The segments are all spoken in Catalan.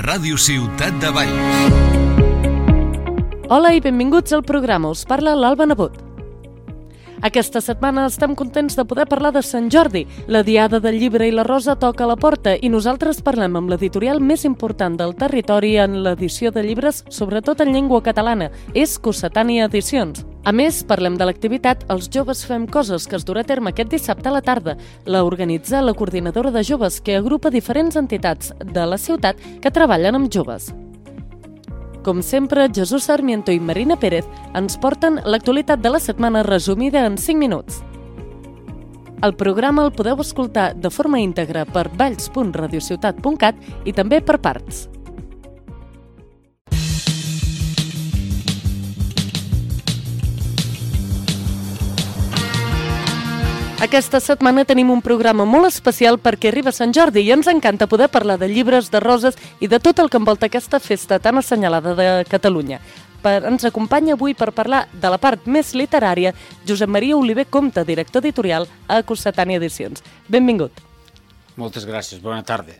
Ràdio Ciutat de Valls. Hola i benvinguts al programa. Us parla l'Alba Nebot. Aquesta setmana estem contents de poder parlar de Sant Jordi. La Diada del Llibre i la Rosa toca a la porta i nosaltres parlem amb l'editorial més important del territori en l'edició de llibres, sobretot en llengua catalana. És Cossetània Edicions. A més, parlem de l'activitat Els Joves Fem Coses, que es durà a terme aquest dissabte a la tarda. La organitza la Coordinadora de Joves, que agrupa diferents entitats de la ciutat que treballen amb joves. Com sempre, Jesús Sarmiento i Marina Pérez ens porten l'actualitat de la setmana resumida en 5 minuts. El programa el podeu escoltar de forma íntegra per valls.radiociutat.cat i també per parts. Aquesta setmana tenim un programa molt especial perquè arriba Sant Jordi i ens encanta poder parlar de llibres, de roses i de tot el que envolta aquesta festa tan assenyalada de Catalunya. Ens acompanya avui per parlar de la part més literària Josep Maria Oliver Compte, director editorial a Cossetània Edicions. Benvingut. Moltes gràcies, bona tarda.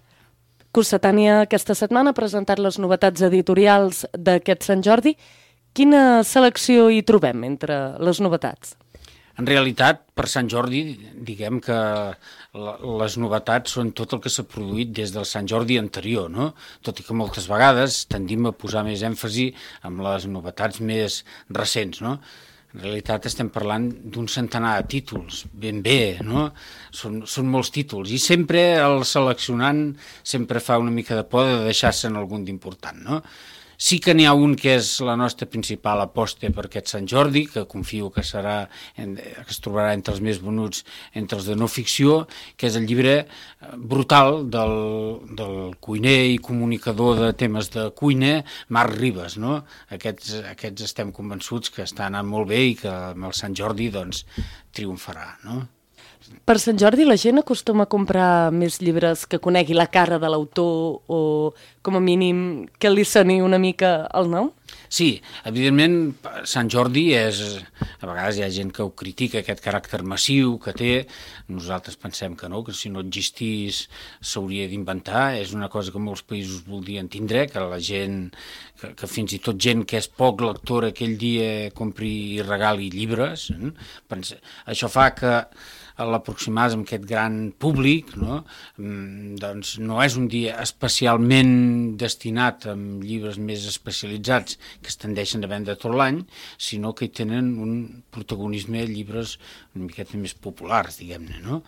Cossetània aquesta setmana ha presentat les novetats editorials d'aquest Sant Jordi. Quina selecció hi trobem entre les novetats? En realitat, per Sant Jordi, diguem que les novetats són tot el que s'ha produït des del Sant Jordi anterior, no? Tot i que moltes vegades tendim a posar més èmfasi amb les novetats més recents, no? En realitat estem parlant d'un centenar de títols, ben bé, no? Són molts títols i sempre el seleccionant sempre fa una mica de por de deixar-se'n algun d'important, no? Sí que n'hi ha un que és la nostra principal aposta per aquest Sant Jordi, que confio que es trobarà entre els més venuts entre els de no ficció, que és el llibre brutal del cuiner i comunicador de temes de cuina, Marc Ribas, no? Aquests estem convençuts que està anant molt bé i que amb el Sant Jordi doncs, triomfarà, no? Per Sant Jordi la gent acostuma a comprar més llibres que conegui la cara de l'autor o, com a mínim, que li soni una mica el nom? Sí, evidentment Sant Jordi és... A vegades hi ha gent que ho critica, aquest caràcter massiu que té. Nosaltres pensem que no, que si no existís s'hauria d'inventar. És una cosa que molts països voldrien tindre, que la gent, que fins i tot gent que és poc lectora aquell dia compri i regali llibres. Això fa que a l'aproximar amb aquest gran públic, no? Doncs no és un dia especialment destinat amb llibres més especialitzats que es tendeixen a vendre tot l'any, sinó que hi tenen un protagonisme de llibres una miqueta més populars, diguem-ne, no?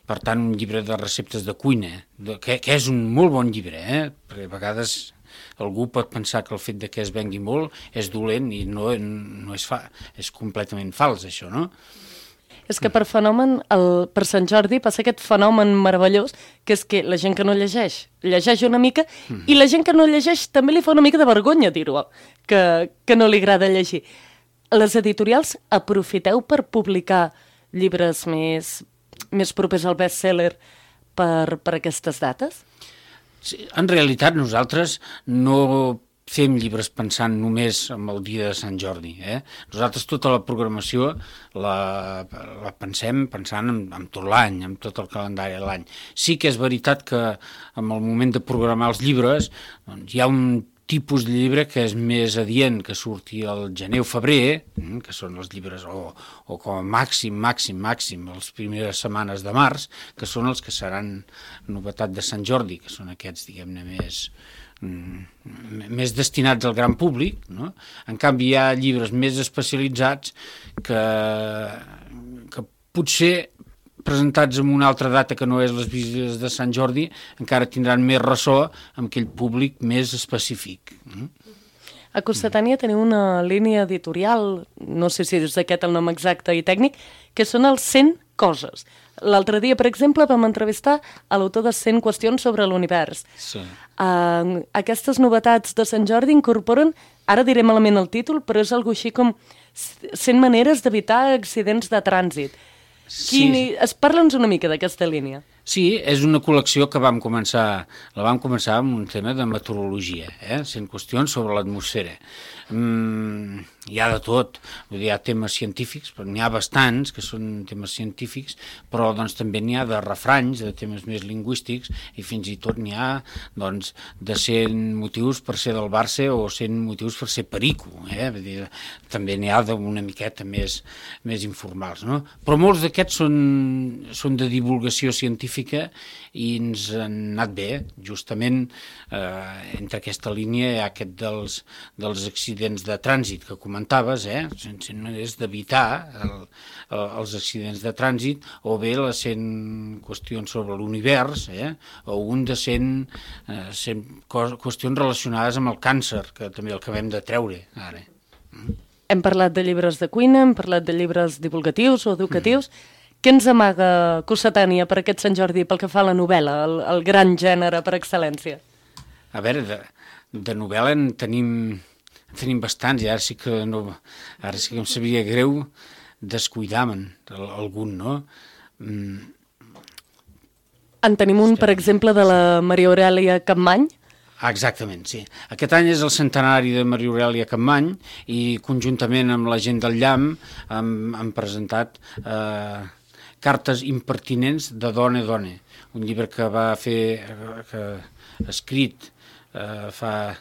Per tant, un llibre de receptes de cuina, que és un molt bon llibre, perquè a vegades algú pot pensar que el fet de que es vengui molt és dolent i no és completament fals, això, no? És que per Sant Jordi passa aquest fenomen meravellós, que és que la gent que no llegeix una mica, i la gent que no llegeix també li fa una mica de vergonya dir-ho, que no li agrada llegir. Les editorials aprofiteu per publicar llibres més propers al best-seller per aquestes dates? Sí, en realitat nosaltres no fem llibres pensant només en el dia de Sant Jordi. Nosaltres tota la programació la pensem pensant en tot l'any, en tot el calendari de l'any. Sí que és veritat que en el moment de programar els llibres doncs, hi ha un tipus de llibre que és més adient que surti el gener o febrer, que són els llibres, o com a màxim, les primeres setmanes de març, que són els que seran novetat de Sant Jordi, que són aquests, diguem-ne, més destinats al gran públic, no? En canvi hi ha llibres més especialitzats que potser presentats en una altra data que no és les visites de Sant Jordi encara tindran més ressò amb aquell públic més específic. A Cossetània teniu una línia editorial, no sé si és aquest el nom exacte i tècnic, que són els 100 coses. L'altre dia, per exemple, vam entrevistar a l'autor de 100 qüestions sobre l'univers. Sí. Aquestes novetats de Sant Jordi incorporen, ara diré malament el títol, però és algo així com 100 maneres d'evitar accidents de trànsit. Sí. Parla'ns una mica d'aquesta línia. Sí, és una col·lecció que la vam començar amb un tema de meteorologia, sent qüestions sobre l'atmosfera. Hi ha de tot, vull dir, hi ha temes científics, però n'hi ha bastants que són temes científics, però doncs, també n'hi ha de refranys, de temes més lingüístics, i fins i tot n'hi ha doncs, de 100 motius per ser del Barça o 100 motius per ser perico. Vull dir, també n'hi ha d'una miqueta més informals, no? Però molts d'aquests són de divulgació científica i ens han anat bé. Justament entre aquesta línia hi ha aquest dels accidents de trànsit que comentaves, és d'evitar els accidents de trànsit, o bé les 100 qüestions sobre l'univers, o un de 100 qüestions relacionades amb el càncer, que també el acabem de treure ara. Hem parlat de llibres de cuina, hem parlat de llibres divulgatius o educatius. Què ens amaga Cossetània per aquest Sant Jordi pel que fa a la novel·la, el gran gènere per excel·lència? A veure, de novel·la en tenim bastants, i ara sí que em sabria greu descuidar-me'n algun, no? En tenim un, per exemple, de la Maria Aurèlia Capmany. Exactament, sí. Aquest any és el centenari de Maria Aurèlia Capmany i conjuntament amb la gent del Llamp han presentat Cartes impertinents de dona a dona, un llibre que va fer, escrit fa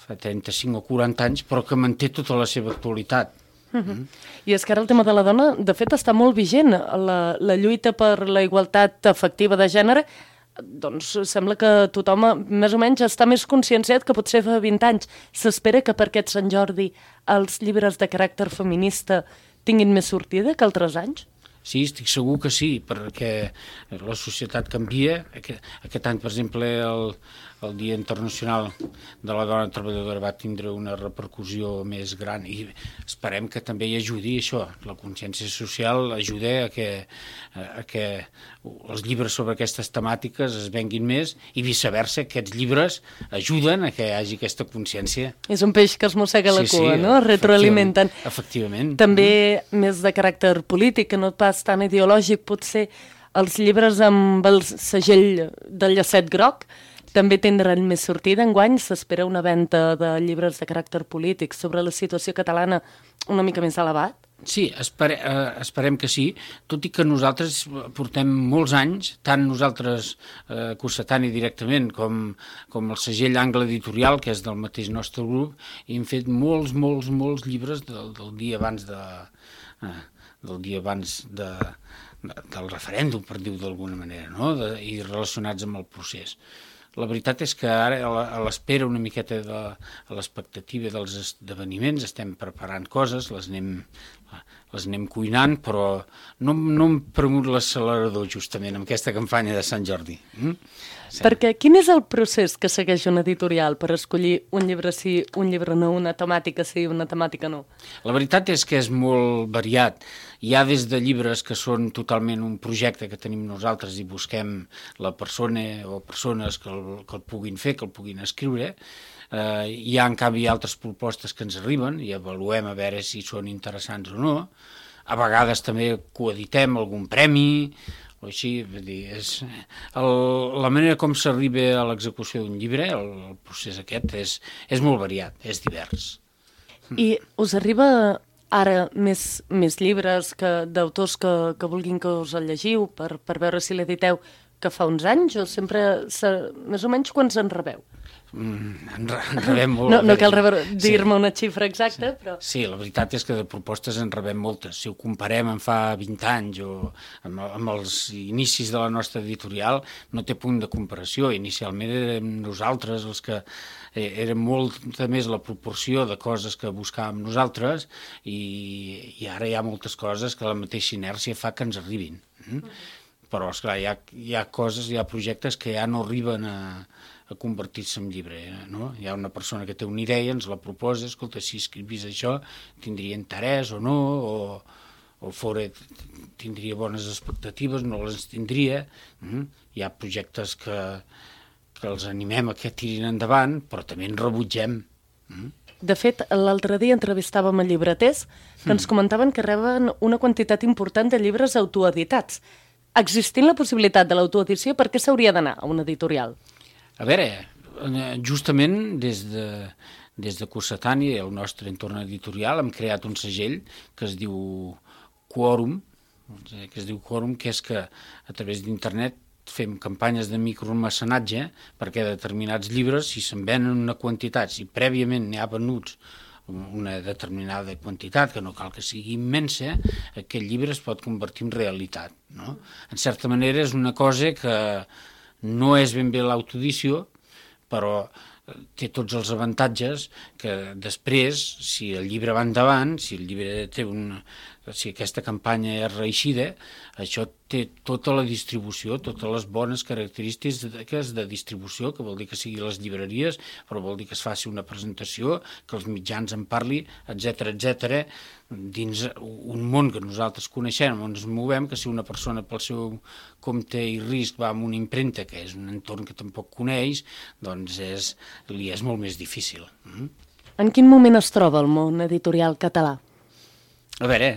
35 o 40 anys, però que manté tota la seva actualitat. I és que ara el tema de la dona, de fet, està molt vigent. La lluita per la igualtat efectiva de gènere, doncs sembla que tothom més o menys està més conscienciat que potser fa 20 anys. S'espera que per aquest Sant Jordi els llibres de caràcter feminista tinguin més sortida que altres anys? Sí, estic segur que sí, perquè la societat canvia. Aquest any, per exemple, el Dia Internacional de la Dona Treballadora va tindre una repercussió més gran i esperem que també hi ajudi això, la consciència social ajuda a que els llibres sobre aquestes temàtiques es venguin més i viceversa, aquests llibres ajuden a que hi hagi aquesta consciència. És un peix que es mossega la cua, no? Es retroalimenten. Efectivament. També més de caràcter polític, que no pas tan ideològic, potser els llibres amb el segell del llacet groc també tindran més sortida. Enguany s'espera una venda de llibres de caràcter polític sobre la situació catalana una mica més elevat? Sí, esperem que sí, tot i que nosaltres portem molts anys, tant nosaltres Cossetània directament com el segell Angle Editorial, que és del mateix nostre grup, i hem fet molts llibres del dia abans del referèndum, per dir-ho d'alguna manera, no? I relacionats amb el procés. La veritat és que ara, a l'espera una miqueta a l'expectativa dels esdeveniments, estem preparant coses, les anem cuinant, però no hem premut l'accelerador justament amb aquesta campanya de Sant Jordi. Sí. Perquè quin és el procés que segueix una editorial per escollir un llibre sí, un llibre no, una temàtica sí, una temàtica no? La veritat és que és molt variat. Hi ha des de llibres que són totalment un projecte que tenim nosaltres i busquem la persona o persones que el puguin fer, que el puguin escriure. Hi ha, en canvi, altres propostes que ens arriben i avaluem a veure si són interessants o no. A vegades també coeditem algun premi o així. Vull dir, la manera com s'arriba a l'execució d'un llibre, el procés aquest, és molt variat, és divers. I us arriba ara més llibres d'autors que vulguin que us el llegiu per veure si l'editeu que fa uns anys o sempre, més o menys, quants en rebeu? En rebem molt. No cal dir-me una xifra exacta, però... Sí, la veritat és que de propostes en rebem moltes. Si ho comparem amb fa 20 anys o amb els inicis de la nostra editorial, no té punt de comparació. Inicialment érem nosaltres els que era molta més la proporció de coses que buscàvem nosaltres i ara hi ha moltes coses que la mateixa inèrcia fa que ens arribin. Però, esclar, hi ha coses, hi ha projectes que ja no arriben a convertir-se en llibre, no? Hi ha una persona que té una idea, ens la proposa, escolta, si escrivís això, tindria interès o no, o tindria bones expectatives, no les tindria. Hi ha projectes que els animem a que tirin endavant, però també en rebutgem. De fet, l'altre dia entrevistàvem a llibreters que ens comentaven que reben una quantitat important de llibres autoeditats. existint la possibilitat de l'autoedició, per què s'hauria d'anar a una editorial? A veure, justament des de Cossetània i el nostre entorn editorial hem creat un segell que es diu Quòrum, que és que a través d'internet fem campanyes de micromecenatge perquè determinats llibres, si se'n venen una quantitat, si prèviament n'hi ha venuts una determinada quantitat, que no cal que sigui immensa, aquest llibre es pot convertir en realitat, no? En certa manera és una cosa que no és ben bé l'autoedició, però té tots els avantatges que després, si el llibre va endavant, si el llibre té si aquesta campanya és reeixida, això té tota la distribució, totes les bones característiques de distribució, que vol dir que sigui a les llibreries, però vol dir que es faci una presentació, que els mitjans en parli, etc dins un món que nosaltres coneixem, on ens movem, que si una persona pel seu compte i risc va amb una impremta, que és un entorn que tampoc coneix, doncs li és molt més difícil. En quin moment es troba el món editorial català? A veure,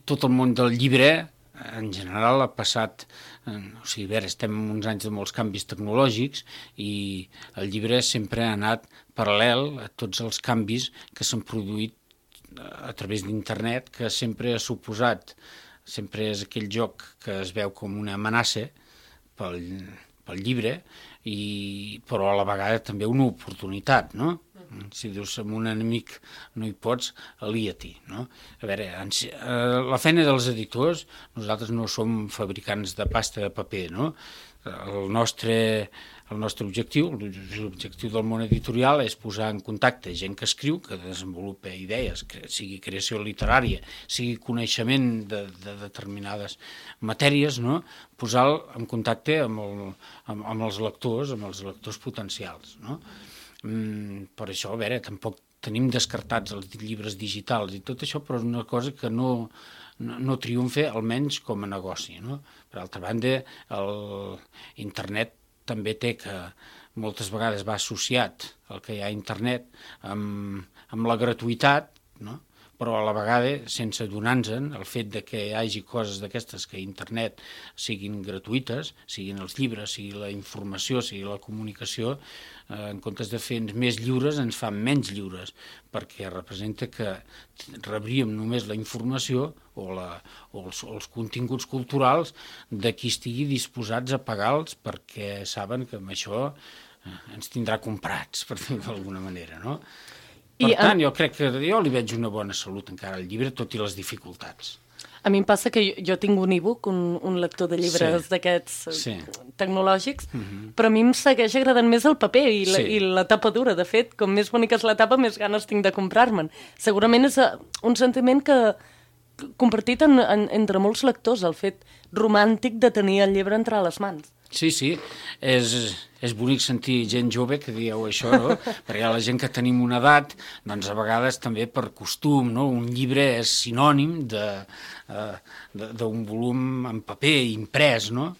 tot el món del llibre, en general, ha passat... estem en uns anys de molts canvis tecnològics i el llibre sempre ha anat paral·lel a tots els canvis que s'han produït a través d'internet, que sempre ha suposat, sempre és aquell joc que es veu com una amenaça pel llibre, però a la vegada també una oportunitat, no? Si dius amb un enemic no hi pots, alia-t'hi, no? A veure, la feina dels editors, nosaltres no som fabricants de pasta de paper, no? El nostre objectiu, l'objectiu del món editorial és posar en contacte gent que escriu, que desenvolupa idees, sigui creació literària, sigui coneixement de determinades matèries, no? Posar-lo en contacte amb els lectors potencials, no? Per això, a veure, tampoc tenim descartats els llibres digitals i tot això, però és una cosa que no triomfa, almenys com a negoci, no? Per altra banda, internet també té que moltes vegades va associat el que hi ha a internet amb la gratuïtat, no? Però a la vegada, sense adonar-nos, el fet de que hi hagi coses d'aquestes que a internet siguin gratuïtes, siguin els llibres, sigui la informació, sigui la comunicació, en comptes de fer-nos més lliures, ens fan menys lliures, perquè representa que rebríem només la informació o els continguts culturals de qui estigui disposats a pagar-los perquè saben que amb això ens tindrà comprats, per dir-ho d'alguna manera, no? Per tant, jo crec que jo li veig una bona salut encara al llibre, tot i les dificultats. A mi em passa que jo tinc un e-book, un lector de llibres d'aquests tecnològics, però a mi em segueix agradant més el paper i la tapa dura. De fet, com més bonica és la tapa, més ganes tinc de comprar-me'n. Segurament és un sentiment que compartit entre molts lectors, el fet romàntic de tenir el llibre entre les mans. Sí, és bonic sentir gent jove que dieu això, no? Perquè la gent que tenim una edat, doncs a vegades també per costum, no? Un llibre és sinònim d'un volum en paper imprès, no?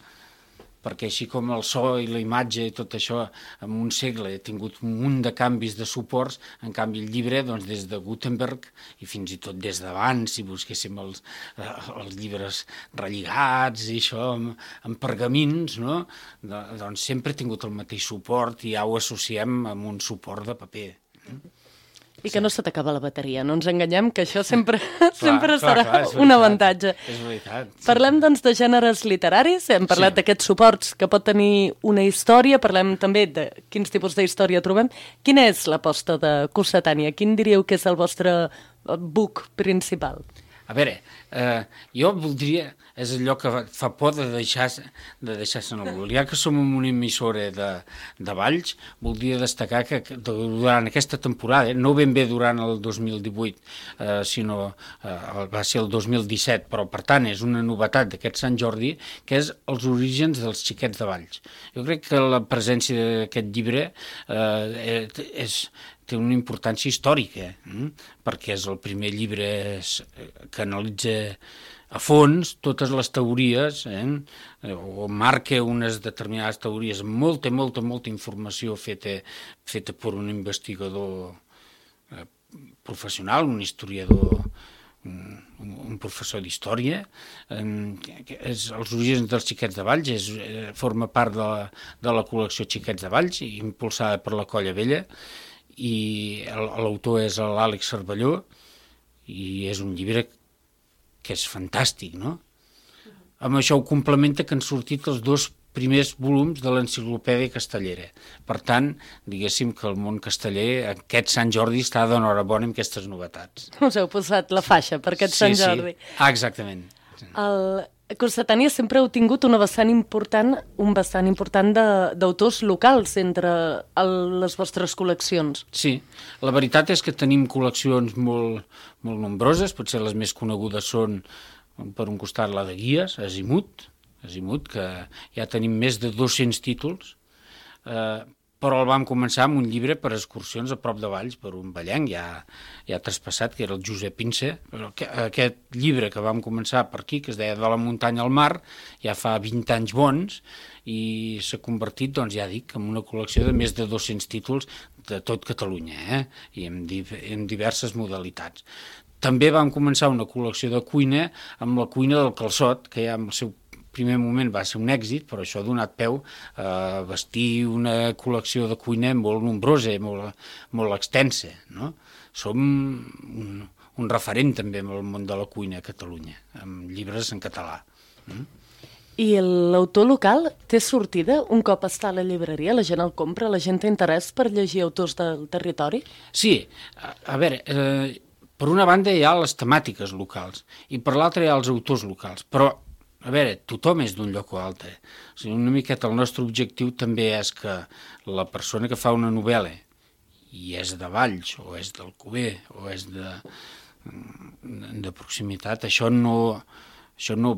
Perquè així com el so i la imatge i tot això en un segle ha tingut un munt de canvis de suports, en canvi el llibre, doncs des de Gutenberg i fins i tot des d'abans, si busquéssim els llibres relligats i això amb pergamins, no? Doncs sempre ha tingut el mateix suport i ja ho associem amb un suport de paper. I que no se t'acaba la bateria, no ens enganyem, que això sempre serà un avantatge. És veritat. Parlem, doncs, de gèneres literaris, hem parlat d'aquests suports que pot tenir una història, parlem també de quins tipus d'història trobem. Quina és l'aposta de Cossetània? Quin diríeu que és el vostre book principal? A veure, jo voldria, és allò que fa por de deixar-se en algú. Ja que som en una emissora de Valls, voldria destacar que durant aquesta temporada, no ben bé durant el 2018, sinó va ser el 2017, però per tant és una novetat d'aquest Sant Jordi, que és els orígens dels xiquets de Valls. Jo crec que la presència d'aquest llibre té una importància històrica, perquè és el primer llibre que analitza a fons totes les teories, o marca unes determinades teories amb molta informació feta per un investigador professional, un historiador un professor d'història. Els orígens dels Xiquets de Valls forma part de la col·lecció Xiquets de Valls, impulsada per la Colla Vella, i l'autor és l'Àlex Cervelló, i és un llibre que és fantàstic, no? Amb això ho complementa que han sortit els 2 primers volums de l'enciclopèdia castellera. Per tant, diguéssim que el món casteller, aquest Sant Jordi, està d'enhorabona amb aquestes novetats. Us heu posat la faixa per aquest Sant Jordi. Sí. Ah, exactament. El Cossetània sempre heu tingut un vessant important d'autors locals entre les vostres col·leccions. Sí, la veritat és que tenim col·leccions molt nombroses, potser les més conegudes són, per un costat, la de Guies, Azimuth, que ja tenim més de 200 títols, però el vam començar amb un llibre per excursions a prop de Valls, per un vallenc ja traspassat, que era el Josep Pince. Aquest llibre que vam començar per aquí, que es deia De la muntanya al mar, ja fa 20 anys bons, i s'ha convertit, doncs ja dic, en una col·lecció de més de 200 títols de tot Catalunya, i en diverses modalitats. També vam començar una col·lecció de cuina amb la cuina del calçot, que ja en el seu primer moment va ser un èxit, però això ha donat peu a vestir una col·lecció de cuina molt nombrosa, molt extensa, no? Som un referent també en el món de la cuina a Catalunya, amb llibres en català. I l'autor local té sortida un cop està a la llibreria? La gent el compra? La gent té interès per llegir autors del territori? Sí, a veure, per una banda hi ha les temàtiques locals i per l'altra hi ha els autors locals, però a veure, tothom és d'un lloc o altre. O sigui, una miqueta el nostre objectiu també és que la persona que fa una novel·la i és de Valls, o és d'Alcover, o és de proximitat, això no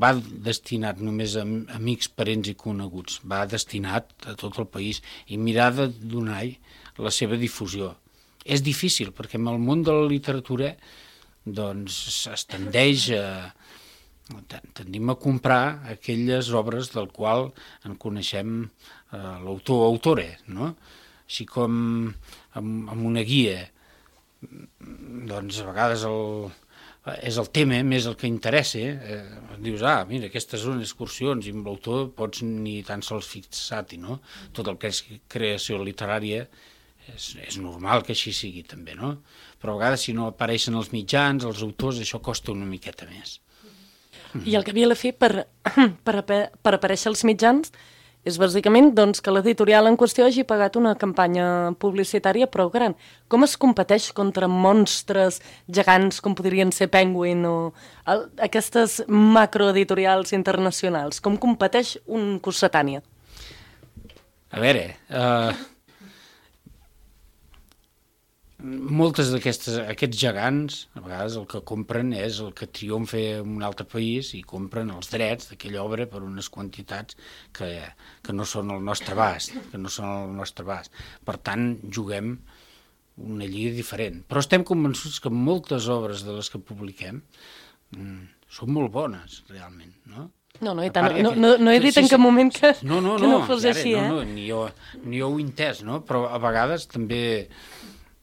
va destinat només a amics, parents i coneguts, va destinat a tot el país i mirar de donar la seva difusió. És difícil, perquè en el món de la literatura doncs es tendeix tendim a comprar aquelles obres del qual en coneixem l'autor o autora, no? Així com amb una guia, doncs a vegades és el tema més el que interessa, dius, mira, aquestes són excursions i amb l'autor pots ni tan sols fixar-t'hi, no? Tot el que és creació literària és normal que així sigui també, no? Però a vegades si no apareixen els mitjans, els autors, això costa una miqueta més. I el que havia de fer per aparèixer als mitjans és bàsicament doncs, que l'editorial en qüestió hagi pagat una campanya publicitària prou gran. Com es competeix contra monstres gegants com podrien ser Penguin o aquestes macroeditorials internacionals? Com competeix un Cossetània? A veure, moltes aquests gegants, a vegades el que compren és el que triomfa en un altre país i compren els drets d'aquella obra per unes quantitats que no són al nostre abast, Per tant, juguem una lliga diferent. Però estem convençuts que moltes obres de les que publiquem són molt bones, realment, no? No, i tant, no he dit en cap moment que no fos així, ni jo ho he entès, no? Però a vegades també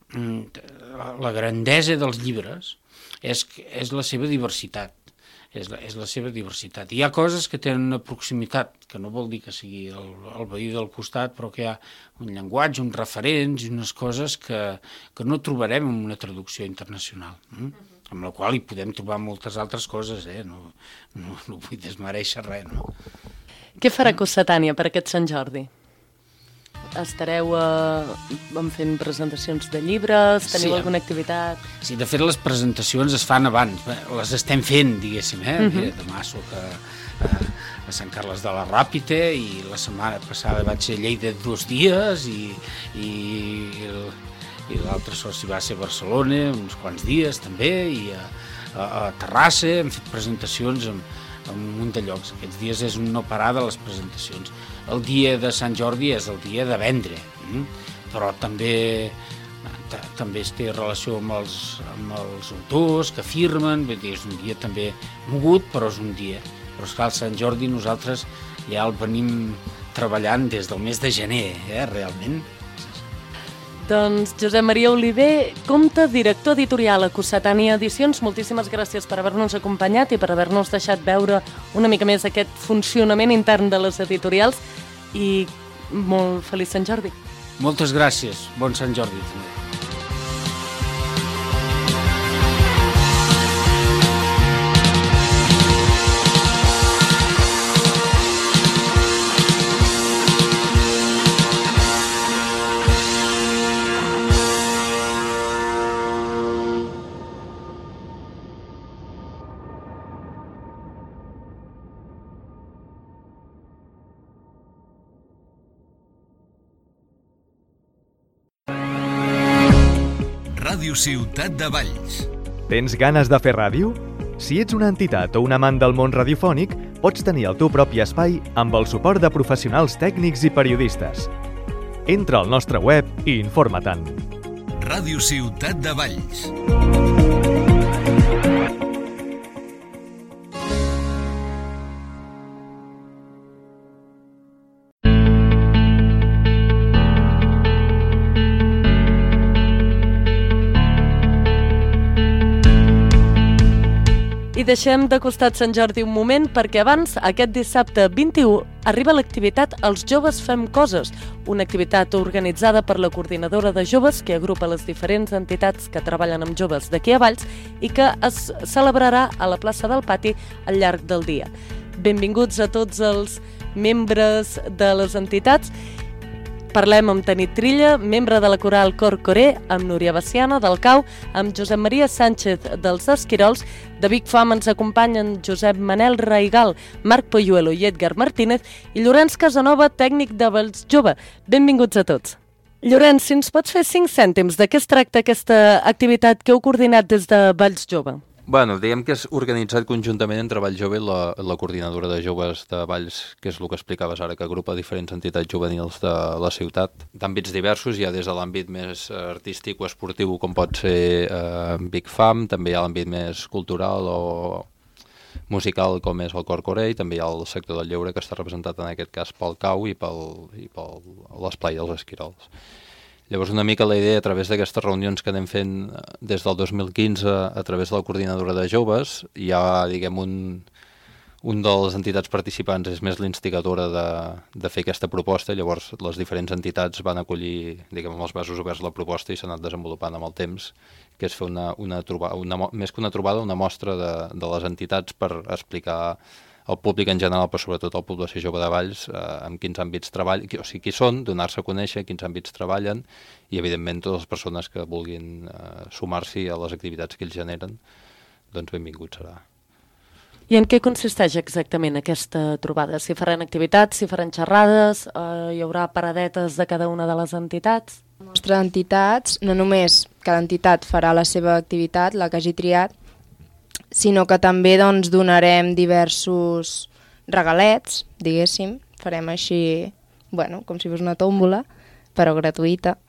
la grandesa dels llibres és la seva diversitat. És la seva diversitat. Hi ha coses que tenen una proximitat, que no vol dir que sigui el veí del costat, però que hi ha un llenguatge, uns referents i unes coses que no trobarem en una traducció internacional, amb la qual hi podem trobar moltes altres coses, no vull desmereixer res, no? Què farà Cossetània per aquest Sant Jordi? Estareu fent presentacions de llibres? Teniu alguna activitat? Sí, de fet les presentacions es fan abans, les estem fent, diguéssim, Mira, demà soc a Sant Carles de la Ràpita i la setmana passada vaig ser a Lleida 2 dies i l'altre soci va ser a Barcelona uns quants dies també i a Terrassa hem fet presentacions en un munt de llocs. Aquests dies és un no parar de les presentacions. El dia de Sant Jordi és el dia de vendre, però també es té relació amb els autors que firmen, és un dia també mogut, però és un dia. Però esclar, el Sant Jordi nosaltres ja el venim treballant des del mes de gener, realment. Doncs Josep Maria Oliver, comte, director editorial a Cossetània Edicions, moltíssimes gràcies per haver-nos acompanyat i per haver-nos deixat veure una mica més aquest funcionament intern de les editorials i molt feliç Sant Jordi. Moltes gràcies. Bon Sant Jordi també. Ràdio Ciutat de Valls. Tens ganes de fer ràdio? Si ets una entitat o un amant del món radiofònic, pots tenir el teu propi espai amb el suport de professionals tècnics i periodistes. Entra al nostre web i informa-te'n. Ràdio Ciutat de Valls. I deixem de costat Sant Jordi un moment perquè abans, aquest dissabte 21, arriba l'activitat Els Joves Fem Coses, una activitat organitzada per la Coordinadora de Joves que agrupa les diferents entitats que treballen amb joves d'aquí a Valls i que es celebrarà a la plaça del Pati al llarg del dia. Benvinguts a tots els membres de les entitats. Parlem amb Tanit Trilla, membre de la coral Cor Coré, amb Núria Baciana del Cau, amb Josep Maria Sánchez dels Esquirols. De Big Fam ens acompanyen Josep Manel Raigal, Marc Poyuelo i Edgar Martínez i Llorenç Casanova, tècnic de Valls Jove. Benvinguts a tots. Llorenç, si ens pots fer 5 cèntims de què es tracta aquesta activitat que heu coordinat des de Valls Jove? Bueno, diguem que és organitzat conjuntament entre Valls Jove i la Coordinadora de Joves de Valls, que és el que explicaves ara, que agrupa diferents entitats juvenils de la ciutat, d'àmbits diversos. Hi ha des de l'àmbit més artístic o esportiu, com pot ser Big Fam, també hi ha l'àmbit més cultural o musical, com és el Cor Coré, i també hi ha el sector del lleure, que està representat en aquest cas pel Cau i per l'Esplai dels Esquirols. Llavors, una mica la idea, a través d'aquestes reunions que anem fent des del 2015 a través de la Coordinadora de Joves, hi ha, diguem, un de les entitats participants és més l'instigadora de fer aquesta proposta. Llavors, les diferents entitats van acollir, diguem, amb els braços oberts la proposta i s'ha anat desenvolupant amb el temps, que és fer més que una trobada, una mostra de les entitats per explicar al públic en general, però sobretot a la població jove de Valls, en quins àmbits treballen, o sigui, qui són, donar-se a conèixer, quins àmbits treballen, i evidentment totes les persones que vulguin sumar-s'hi a les activitats que ells generen, doncs benvingut serà. I en què consisteix exactament aquesta trobada? Si faran activitats, si faran xerrades, hi haurà paradetes de cada una de les entitats? Les nostres entitats, no només cada entitat farà la seva activitat, la que hagi triat, sinó que també doncs, donarem diversos regalets, diguéssim, farem així, bueno, com si fos una tòmbola, però gratuïta.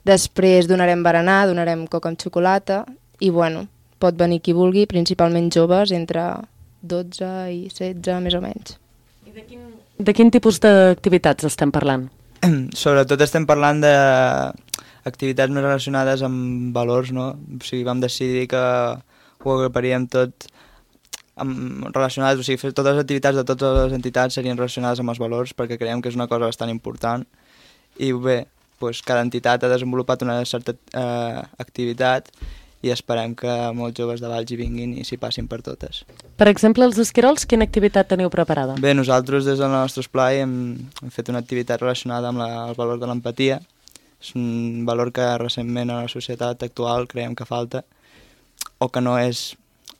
Després donarem berenar, donarem coca amb xocolata i bueno, pot venir qui vulgui, principalment joves, entre 12 i 16 més o menys. I de quin tipus d'activitats estem parlant? Sobretot estem parlant d'activitats més relacionades amb valors, no? O sigui, vam decidir que ho agruparíem tot relacionades, o sigui, totes les activitats de totes les entitats serien relacionades amb els valors perquè creiem que és una cosa bastant important i bé, doncs cada entitat ha desenvolupat una certa activitat i esperem que molts joves de Valls hi vinguin i s'hi passin per totes. Per exemple, els Esquirols, quina activitat teniu preparada? Bé, nosaltres des del nostre esplai hem fet una activitat relacionada amb el valor de l'empatia. És un valor que recentment a la societat actual creiem que falta o que no és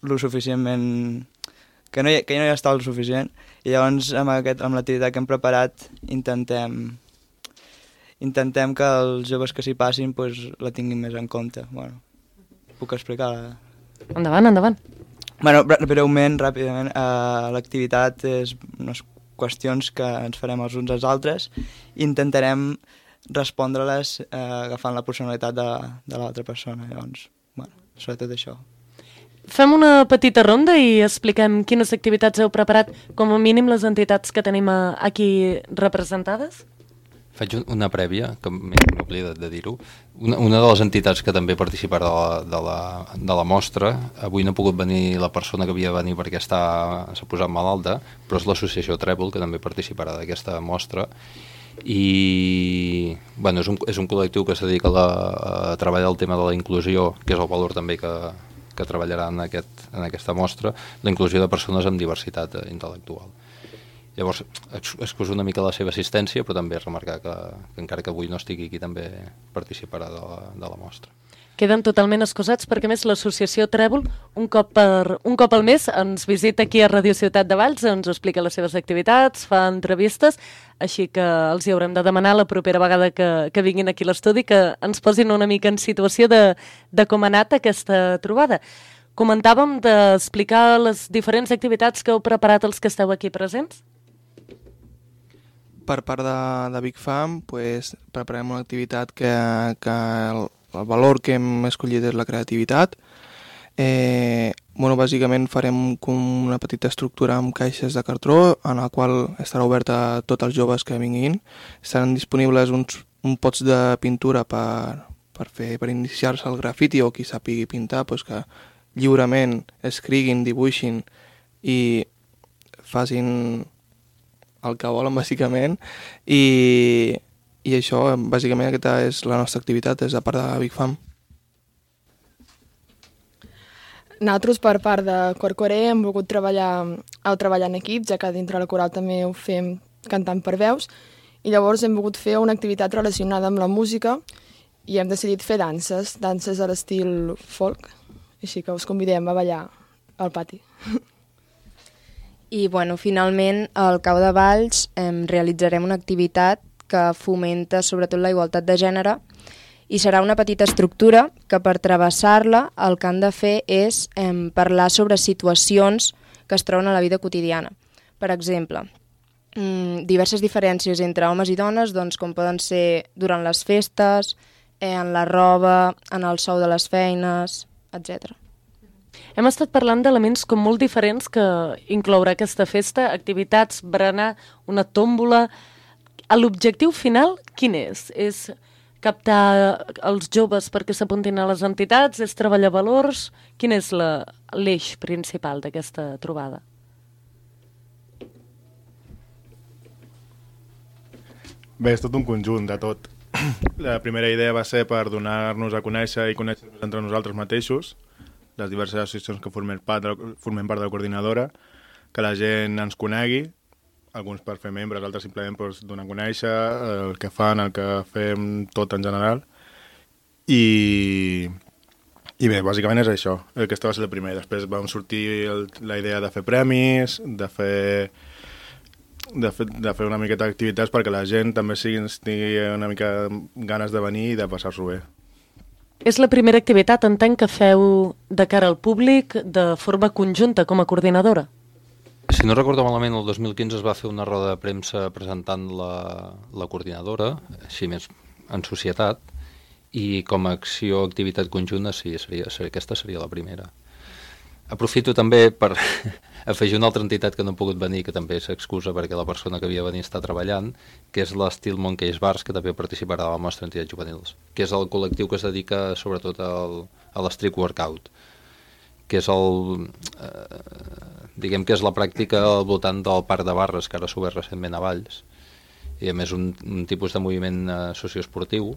lo suficientment... que no hi està el suficient. I llavors amb l'activitat que hem preparat intentem que els joves que s'hi passin pues, la tinguin més en compte. Bueno, puc explicar? Endavant. Bueno, breument, ràpidament, l'activitat és unes qüestions que ens farem els uns als altres i intentarem respondre-les agafant la personalitat de l'altra persona. Llavors, bueno, sobretot això. Fem una petita ronda i expliquem quines activitats heu preparat, com a mínim les entitats que tenim aquí representades? Faig una prèvia, que m'he oblidat de dir-ho. Una de les entitats que també participarà de la mostra, avui no ha pogut venir la persona que havia de venir perquè s'ha posat malalta, però és l'associació Trèvol, que també participarà d'aquesta mostra. I bueno, és un col·lectiu que es dedica a treballar el tema de la inclusió, que és el valor també que treballarà en aquesta mostra, la inclusió de persones amb diversitat intel·lectual. Llavors, excuso una mica la seva assistència, però també remarcar que encara que avui no estigui aquí, també participarà de la mostra. Queden totalment excusats perquè, a més, l'associació Trèvol, un cop al mes, ens visita aquí a Radio Ciutat de Valls, ens explica les seves activitats, fa entrevistes, així que els hi haurem de demanar la propera vegada que vinguin aquí a l'estudi que ens posin una mica en situació de com ha anat aquesta trobada. Comentàvem d'explicar les diferents activitats que heu preparat els que esteu aquí presents? Per part de Big Fam, preparem una activitat que el valor que hem escollit és la creativitat. Bàsicament farem com una petita estructura amb caixes de cartró en la qual estarà oberta a tots els joves que vinguin. Estaran disponibles uns pots de pintura per iniciar-se al grafiti o qui sàpigui pintar, que lliurement escriguin, dibuixin i facin el que volen, bàsicament, i això, bàsicament, aquesta és la nostra activitat des de part de Big Fam. Nosaltres, per part de Corcoré, hem volgut treballar en equip, ja que dintre la coral també ho fem cantant per veus, i llavors hem volgut fer una activitat relacionada amb la música i hem decidit fer danses a l'estil folk, així que us convidem a ballar al pati. I, finalment, al Cau de Valls realitzarem una activitat que fomenta sobretot la igualtat de gènere i serà una petita estructura que per travessar-la el que han de fer és parlar sobre situacions que es troben a la vida quotidiana. Per exemple, diverses diferències entre homes i dones, com poden ser durant les festes, en la roba, en el sou de les feines, etc. Hem estat parlant d'elements com molt diferents que inclourà aquesta festa, activitats, berenar, una tòmbola. L'objectiu final, quin és? És captar els joves perquè s'apuntin a les entitats? És treballar valors? Quin és l'eix principal d'aquesta trobada? Bé, és tot un conjunt de tot. La primera idea va ser per donar-nos a conèixer i conèixer entre nosaltres mateixos, les diverses associacions que formem part de la coordinadora, que la gent ens conegui, alguns per fer membres, altres simplement per donar a conèixer el que fan, el que fem, tot en general. I bé, bàsicament és això. Aquesta va ser la primera. Després vam sortir la idea de fer premis, de fer una miqueta d'activitats perquè la gent també tingui una mica ganes de venir i de passar-s'ho bé. És la primera activitat, entenc, que feu de cara al públic de forma conjunta com a coordinadora. Si no recordo malament, el 2015 es va fer una roda de premsa presentant la coordinadora, així més en societat, i com a acció o activitat conjunta, sí, aquesta seria la primera. Aprofito també per afegir una altra entitat que no ha pogut venir, que també s'excusa perquè la persona que havia de venir està treballant, que és l'Estil Monkeys Bars, que també participarà a la mostra d'entitats juvenils, que és el col·lectiu que es dedica sobretot a l'street workout, que és diguem que és la pràctica al voltant del parc de barres que ara s'ha obert recentment a Valls, i a més un tipus de moviment socioesportiu,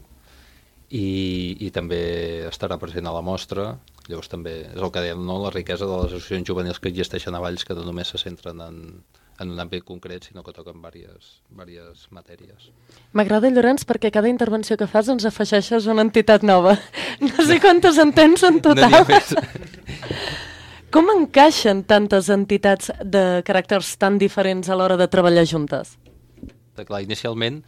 i també estarà present a la mostra. Llavors també és el que dèiem, no? La riquesa de les associacions juvenils que existeixen a Valls, que no només se centren en un àmbit concret, sinó que toquen diverses matèries. M'agrada, Llorenç, perquè cada intervenció que fas ens afegeixes una entitat nova. No sé quantes en tens en total. No n'hi ha més. Com encaixen tantes entitats de caràcters tan diferents a l'hora de treballar juntes? Clar, inicialment,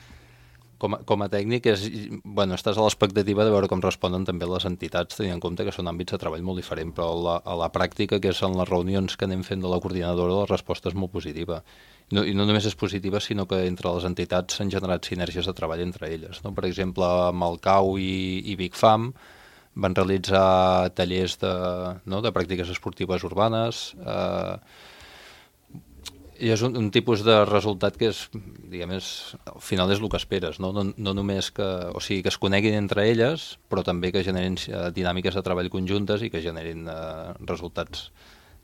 com a tècnic, estàs a l'expectativa de veure com responen també les entitats, tenint en compte que són àmbits de treball molt diferents, però a la pràctica, que és en les reunions que anem fent de la coordinadora, la resposta és molt positiva. I no només és positiva, sinó que entre les entitats s'han generat sinergies de treball entre elles. No? Per exemple, amb el CAU i Big Fam van realitzar tallers de pràctiques esportives urbanes. I és un tipus de resultat que és, diguem, al final és el que esperes, no només que, o sigui, que es coneguin entre elles, però també que generin dinàmiques de treball conjuntes i que generin resultats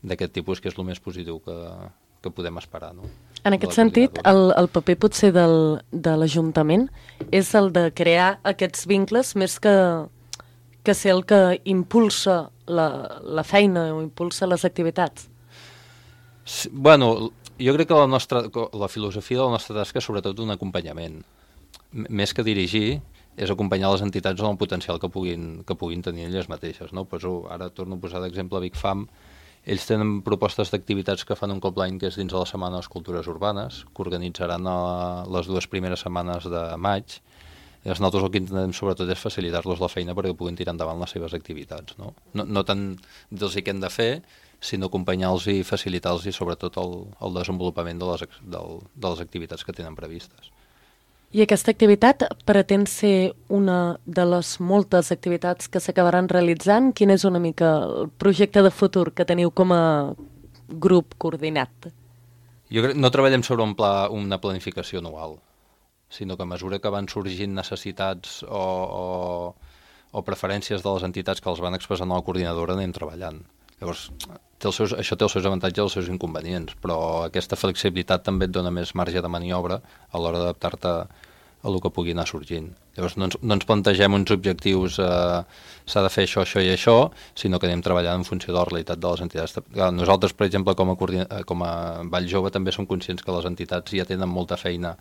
d'aquest tipus, que és el més positiu que podem esperar. No? En aquest sentit, el paper potser de l'Ajuntament és el de crear aquests vincles més que ser el que impulsa la feina o impulsa les activitats. Sí, bueno, jo crec que la filosofia de la nostra tasca és sobretot un acompanyament. Més que dirigir, és acompanyar les entitats en el potencial que puguin tenir elles mateixes. No? Pues, ara torno a posar d'exemple Big Fam. Ells tenen propostes d'activitats que fan un cop l'any, que és dins de la Setmana de les Cultures Urbanes, que organitzaran les 2 primeres setmanes de maig. I nosaltres el que intentem sobretot és facilitar-los la feina perquè puguin tirar endavant les seves activitats. No tant dir-los què han de fer, sinó acompanyar-los i facilitar-los i sobretot el desenvolupament de les activitats que tenen previstes. I aquesta activitat pretén ser una de les moltes activitats que s'acabaran realitzant? Quin és una mica el projecte de futur que teniu com a grup coordinat? Jo crec que no treballem sobre una planificació anual, sinó que a mesura que van sorgint necessitats o preferències de les entitats que els van expressant a la coordinadora anem treballant. Llavors, això té els seus avantatges i els seus inconvenients, però aquesta flexibilitat també et dona més marge de maniobra a l'hora d'adaptar-te a el que pugui anar sorgint. Llavors, no ens plantegem uns objectius, s'ha de fer això, això i això, sinó que anem treballant en funció de la realitat de les entitats. Nosaltres, per exemple, com a Vall Jove, també som conscients que les entitats ja tenen molta feina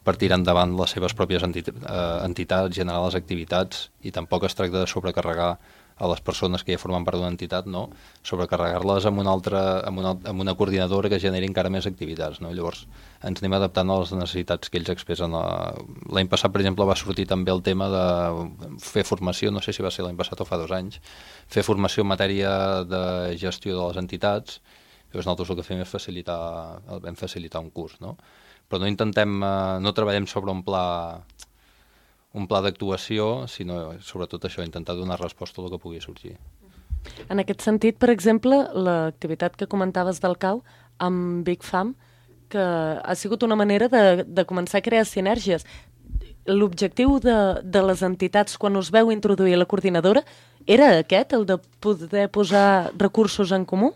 per tirar endavant les seves pròpies entitats, generar les activitats, i tampoc es tracta de sobrecarregar a les persones que ja formen part d'una entitat, no? Sobrecarregar-les amb una coordinadora que generi encara més activitats. No? Llavors ens anem adaptant a les necessitats que ells expressen. L'any passat, per exemple, va sortir també el tema de fer formació, no sé si va ser l'any passat o fa 2 anys, fer formació en matèria de gestió de les entitats. Llavors nosaltres el que fem és facilitar un curs, no? Però no treballem sobre un pla d'actuació, sinó sobretot això, intentar donar resposta a el que pugui sorgir. En aquest sentit, per exemple, l'activitat que comentaves del CAU amb Big Fam, que ha sigut una manera de començar a crear sinergies. L'objectiu de les entitats, quan us veu introduir la coordinadora, era aquest, el de poder posar recursos en comú?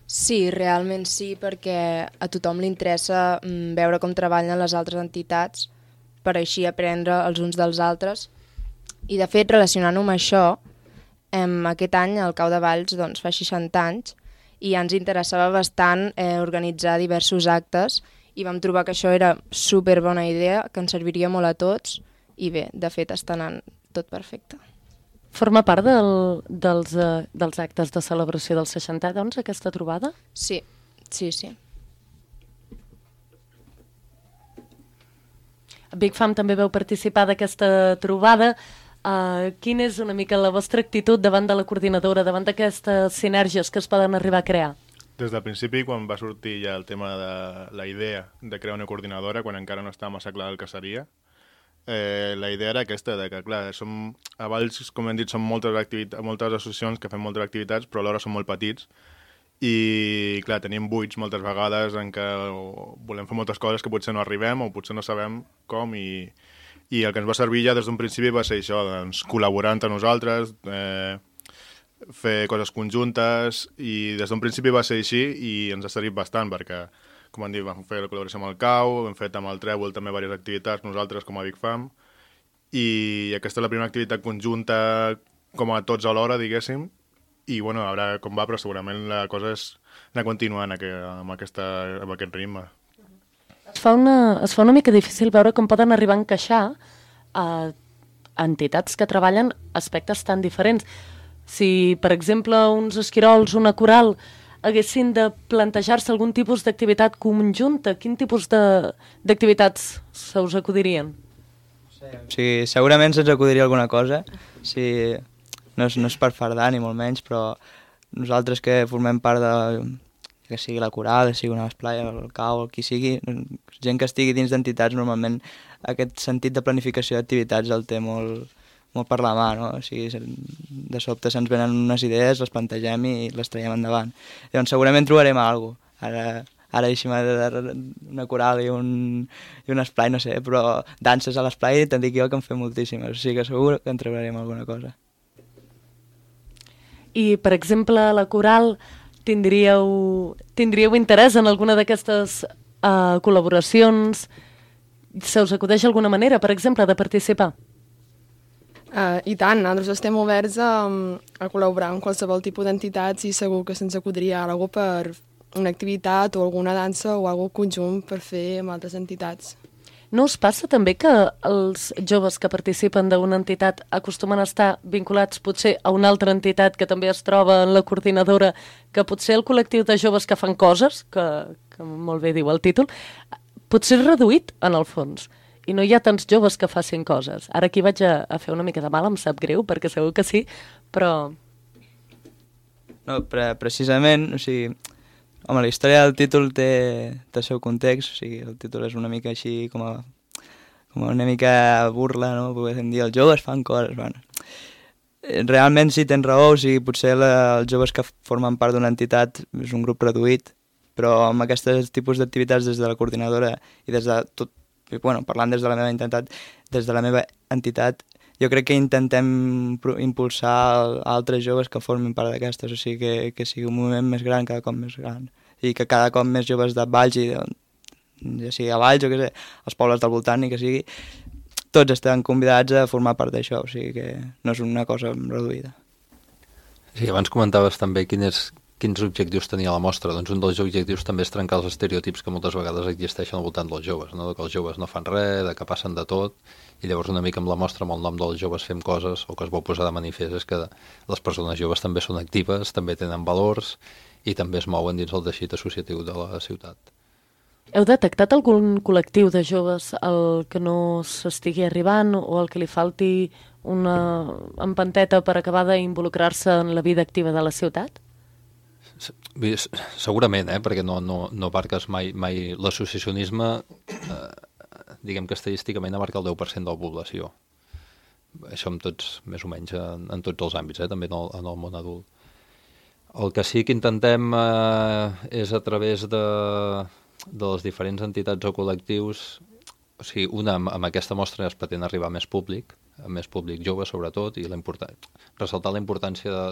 Sí, realment sí, perquè a tothom li interessa veure com treballen les altres entitats per així aprendre els uns dels altres. I de fet, relacionant-ho amb això, aquest any el Cau de Valls fa 60 anys i ja ens interessava bastant organitzar diversos actes i vam trobar que això era superbona idea, que ens serviria molt a tots i bé, de fet està anant tot perfecte. Forma part dels actes de celebració del 60, doncs, aquesta trobada? Sí. Big Fam també vau participar d'aquesta trobada. Quina és una mica la vostra actitud davant de la coordinadora, davant d'aquestes sinergies que es poden arribar a crear? Des del principi, quan va sortir ja el tema de la idea de crear una coordinadora, quan encara no estava massa clar el que seria, la idea era aquesta, de que, clar, a Valls, com hem dit, són moltes associacions que fem moltes activitats, però alhora són molt petits, i, clar, tenim buits moltes vegades en què volem fer moltes coses que potser no arribem o potser no sabem com, i el que ens va servir ja des d'un principi va ser això, doncs, col·laborar entre nosaltres, fer coses conjuntes, i des d'un principi va ser així i ens ha servit bastant perquè, com han dit, vam fer la col·laboració amb el CAU, hem fet amb el Trèvol també diverses activitats nosaltres com a Big Fam, i aquesta és la primera activitat conjunta com a tots alhora, diguéssim, i bueno, a veure com va, però segurament la cosa és anar continuant amb aquest ritme. Es fa una mica difícil veure com poden arribar a encaixar entitats que treballen aspectes tan diferents. Si, per exemple, uns esquirols, una coral, haguessin de plantejar-se algun tipus d'activitat conjunta, quin tipus d'activitats se us acudirien? Sí, segurament se'ns acudiria alguna cosa, sí. No és per fardar ni molt menys, però nosaltres que formem part que sigui la coral, que sigui una esplai, el CAU, el qui sigui, gent que estigui dins d'entitats, normalment aquest sentit de planificació d'activitats el té molt per la mà, no? O sigui, de sobte se'ns venen unes idees, les plantegem i les traiem endavant. Llavors segurament trobarem alguna cosa. Ara deixem una coral i un esplai, no sé, però danses a l'esplai te'n dic jo que en fem moltíssimes, o sigui que segur que en treballarem alguna cosa. I, per exemple, la coral, tindríeu interès en alguna d'aquestes col·laboracions? Se us acudeix alguna manera, per exemple, de participar? I tant, nosaltres estem oberts a col·laborar amb qualsevol tipus d'entitats i segur que se'ns acudiria alguna per una activitat o alguna dansa o alguna conjunt per fer amb altres entitats. No us passa també que els joves que participen d'una entitat acostumen a estar vinculats potser a una altra entitat que també es troba en la coordinadora, que potser el col·lectiu de joves que fan coses, que molt bé diu el títol, potser és reduït en el fons i no hi ha tants joves que facin coses. Ara aquí vaig a fer una mica de mal, em sap greu, perquè segur que sí, però... No, precisament, o sigui, home, la història del títol té el seu context, o sigui, el títol és una mica així com una mica burla, no? Podem dir, els joves fan coses, bueno. Realment sí, tens raó, o sigui, potser els joves que formen part d'una entitat és un grup reduït, però amb aquests tipus d'activitats des de la coordinadora i des de tot, bueno, parlant des de la meva entitat, jo crec que intentem impulsar altres joves que formin part d'aquestes, o sigui, que sigui un moviment més gran, cada cop més gran, i que cada cop més joves de Valls, ja sigui a Valls o que sé, als pobles del voltant, i que sigui, tots estan convidats a formar part d'això, o sigui que no és una cosa reduïda. Sí, abans comentaves també quins objectius tenia la mostra. Doncs un dels objectius també és trencar els estereotips que moltes vegades existeixen al voltant dels joves, no? Que els joves no fan res, que passen de tot, i llavors una mica amb la mostra, amb el nom dels joves fem coses, o que es vol posar de manifest és que les persones joves també són actives, també tenen valors i també es mouen dins el teixit associatiu de la ciutat. Heu detectat algun col·lectiu de joves al que no s'estigui arribant o al que li falti una empenteta per acabar d'involucrar-se en la vida activa de la ciutat? Segurament, perquè no abarques mai l'associacionisme, diguem que estadísticament abarca el 10% de la població. Això amb tots, més o menys, en tots els àmbits, també en el món adult. El que sí que intentem és a través de les diferents entitats o col·lectius, o sigui, amb aquesta mostra es pretén arribar a més públic jove sobretot, i ressaltar la importància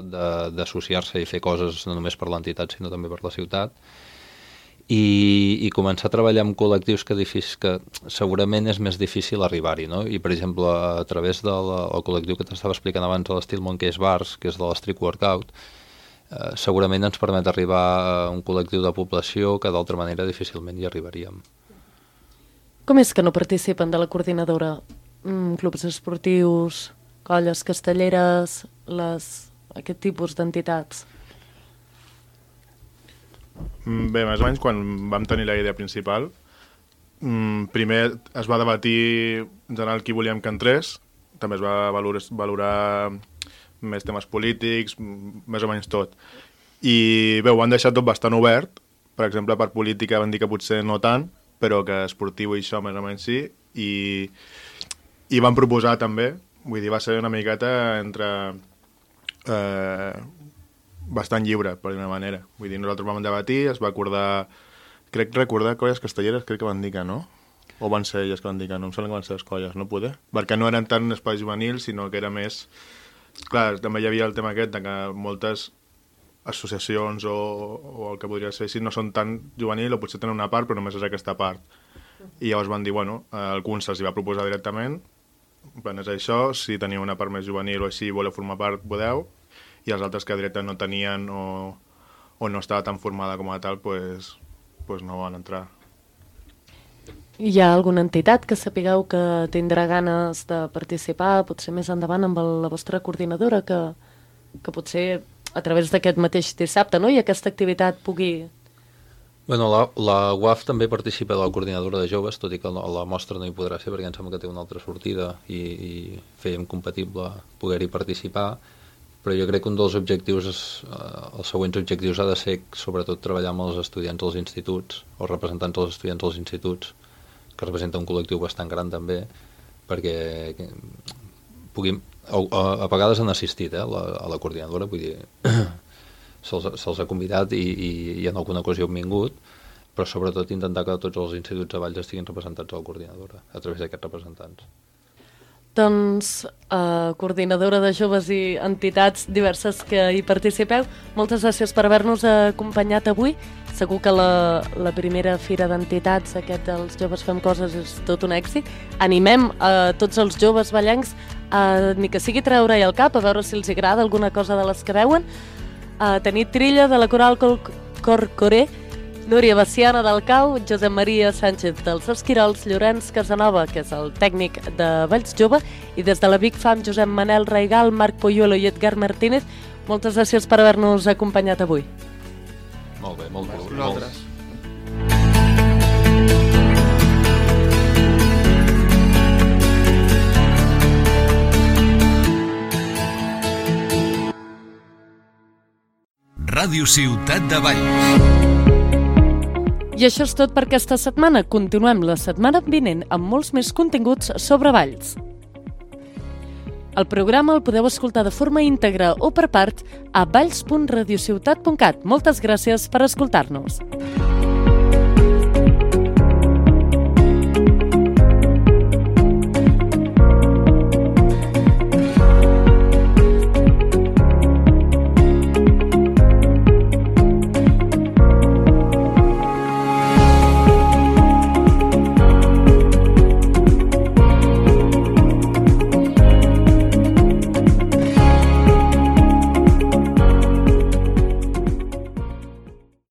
d'associar-se i fer coses no només per l'entitat sinó també per la ciutat, i començar a treballar amb col·lectius que segurament és més difícil arribar-hi, no? I per exemple a través del col·lectiu que t'estava explicant abans de l'Estil Monkeys Bars, que és de l'Street Workout, segurament ens permet arribar a un col·lectiu de població que d'altra manera difícilment hi arribaríem. Com és que no participen de la coordinadora? Clubs esportius, colles castelleres, aquest tipus d'entitats? Bé, més o menys quan vam tenir la idea principal, primer es va debatir en general qui volíem que entrés, també es va valorar més temes polítics, més o menys tot. I bé, ho van deixar tot bastant obert, per exemple per política van dir que potser no tant, però que esportiu i això més o menys sí, i van proposar també, vull dir, va ser una miqueta entre bastant lliure, per dir una manera. Vull dir, nosaltres vam debatir, es va acordar, recordar colles castelleres, crec que van dir que no, o van ser elles que van dir que no, em sembla que van ser les colles, no poder, perquè no eren tant espais juvenils, sinó que era més... Clar, també hi havia el tema aquest de que moltes associacions o el que podria ser així no són tan juvenil o potser tenen una part però només és aquesta part. I llavors van dir, bueno, alguns se'ls va proposar directament, és això, si teniu una part més juvenil o així voleu formar part, podeu, i els altres que directament no tenien o no estava tan formada com a tal, pues no van entrar. Hi ha alguna entitat que sapigueu que tindrà ganes de participar, potser més endavant amb la vostra coordinadora, que potser a través d'aquest mateix dissabte, no? I aquesta activitat pugui... Bueno, la UAF també participa de la coordinadora de joves, tot i que la mostra no hi podrà ser perquè em sembla que té una altra sortida i fèiem compatible poder-hi participar, però jo crec que un dels objectius, els següents objectius ha de ser sobretot treballar amb els estudiants dels instituts o representants dels estudiants dels instituts, que representa un col·lectiu bastant gran també, perquè puguin... A vegades han assistit a la coordinadora, vull dir, se'ls ha convidat i en alguna ocasió han vingut, però sobretot intentar que tots els instituts de Valls estiguin representats a la coordinadora, a través d'aquests representants. Doncs, coordinadora de joves i entitats diverses que hi participeu, moltes gràcies per haver-nos acompanyat avui. Segur que la primera fira d'entitats, aquest dels Joves Fem Coses, és tot un èxit. Animem a tots els joves vallencs, ni que sigui treure-hi el cap, a veure si els agrada alguna cosa de les que veuen. Tenir Trilla, de la Coral Corcoré, Núria Baciana del Cau, Josep Maria Sánchez dels Esquirols, Llorenç Casanova, que és el tècnic de Valls Jove, i des de la Big Fam, Josep Manel Raigal, Marc Poyuelo i Edgar Martínez, moltes gràcies per haver-nos acompanyat avui. Molt bé, molt bé. Vosaltres. Ràdio Ciutat de Valls. I això és tot per aquesta setmana. Continuem la setmana vinent amb molts més continguts sobre Valls. El programa el podeu escoltar de forma íntegra o per part a valls.radiociutat.cat. Moltes gràcies per escoltar-nos.